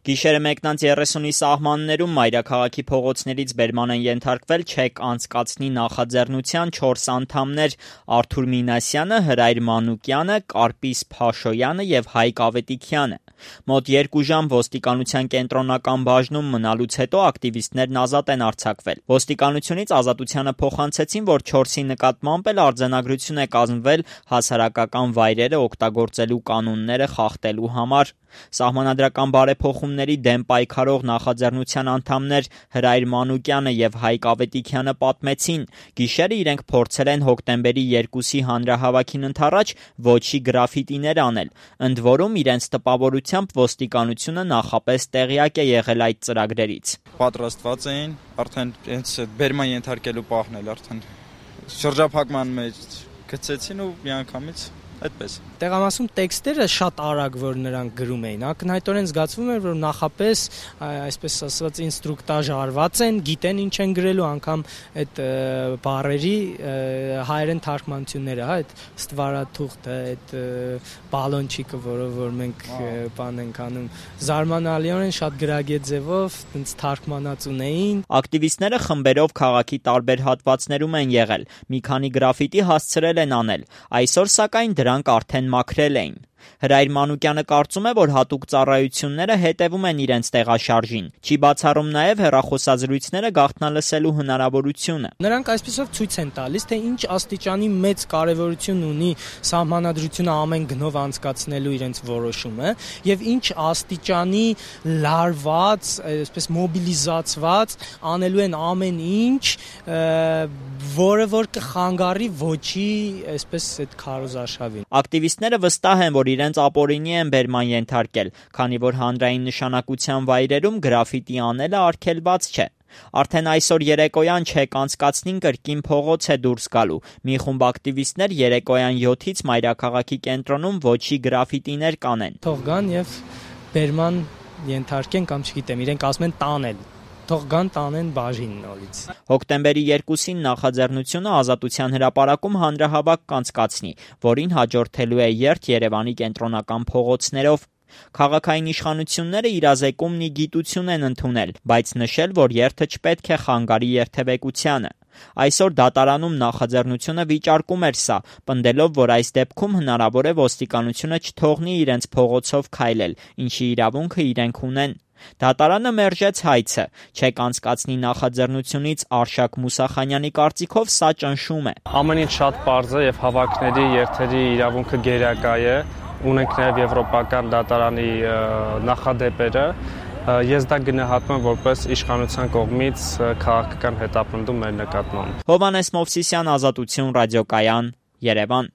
Գիշերը 1:30-ի սահմաններում մայրաքաղաքի փողոցներից բերման են ենթարկվել չեկ անցկացնի նախաձեռնության 4 անդամներ՝ Արթուր Մինասյանը, Հրայր Մանուկյանը, Կարպիս Փաշոյանը և Հայկ Ավետիքյանը։ Մոտ 2 ժամ ոստիկանության կենտրոնական բաժնում մնալուց հետո ակտիվիստներն ազատ են արձակվել։ Ոստիկանությունից ազատությանը փոխանցեցին, որ 4-ի նկատմամբ էլ արձանագրություն է կազմվել հասարակական վայրերը օգտագործելու կանոնները խախտելու համար։ Սահմանադրական բարեփոխումների դեմ պայքարող նախաձեռնության անդամներ Հրայր Մանուկյանը և Հայկ Ավետիքյանը պատմեցին՝ գիշերը իրենք փորձել են հոկտեմբերի 2-ի հանրահավաքին ընդառաջ ոչի գրաֆիտիներ անել, ընդ որում իրենց տպավորությամբ ոստիկանությունը նախապես տեղյակ է եղել այդ ծրագրերից։ Պատրաստված էին, արդեն հենց բերման ենթարկելու պահն էլ արդեն շրջափակման մեջ գցեցին ու միանգամից այդպես։ Տեղամասում տեքստերը շատ արագ, որ նրանք գրում էին, ակնհայտորեն զգացվում էր, որ նախապես, այսպես ասած, ինստրուկտաժ արված են, գիտեն ինչ են գրելու, անգամ այդ բառերի հայերեն թարգմանությունները, այդ ստվարաթուղթը, այդ բալոնչիկը, որ մենք բան ենք անում, զարմանալիորեն շատ գրագետ ձևով թարգմանած ունեին։ Ակտիվիստները խմբերով քաղաքի տարբեր հատվածներում են եղել, մի քանի գրաֆիտի հասցրել են անել, այսօր սակայն դրանք արդեն մաքրել էին։ Հրայր Մանուկյանը կարծում է, որ հատուկ ծառայությունները հետևում են իրենց տեղաշարժին։ Չի բացառում նաև հեռախոսազրույցները գաղտնալսելու հնարավորությունը։ Նրանք այսպեսով ցույց են տալիս, թե ինչ աստիճանի մեծ կարևորություն ունի սահմանադրությունը ամեն գնով անցկացնելու իրենց որոշումը եւ ինչ աստիճանի լարված, այսպես մոբիլիզացված անելու են ամեն ինչ, որը որ կխանգարի ոչի, այսպես այդ քարոզարշավին։ Ակտիվիստները վստահ են, որ իրենց ապօրինի են բերման ենթարկել, քանի որ հանրային նշանակության վայրերում գրաֆիտի անելը արգելված չէ։ Արդեն այսօր երեկոյան չեկ անցկացնին կրկին փողոց է դուրս գալու։ Մի խումբ ակտիվիստներ երեկոյան 7-ից մայրաքաղաքի կենտրոնում ոչի գրաֆիտիներ կանեն։ Թող գան եւ բերման ենթարկեն կամ չգիտեմ, իրենք ասում են տանել։ Թող գան տանեն բաժին նորից։ Հոկտեմբերի 2-ին նախաձեռնությունը Ազատության հրապարակում հանրահավաք կանցկացնի, որին հաջորդելու է երթ Երևանի կենտրոնական փողոցներով։ Քաղաքային իշխանությունները իրազեկումն ի գիտություն են ընդունել, բայց նշել, որ երթը չպետք է խանգարի երթևեկությանը։ Այսօր դատարանում նախաձեռնությունը վիճարկում էր սա, պնդելով, որ այս դեպքում հնարավոր է ոստիկանությունը չթողնի իրենց փողոցով քայլել, ինչի իրավունքը իրենք ունեն։ Դատարանը մերժեց հայցը։ Չեկ անցկացնի նախաձեռնությունից Արշակ Մուսախանյանի կարծիքով սա ճնշում է։ Ամեն ինչ շատ պարզ է եւ հավաքների երթերի իրավունքը գերակա է, ունենք նաեւ եվրոպական դատարանի նախադեպերը։ Ես դա գնահատում եմ որպես իշխանության կողմից քաղաքական հետապնդում մեր նկատմամբ։ Հովհաննես Մովսիսյան, Ազատություն ռադիոկայան, Երևան։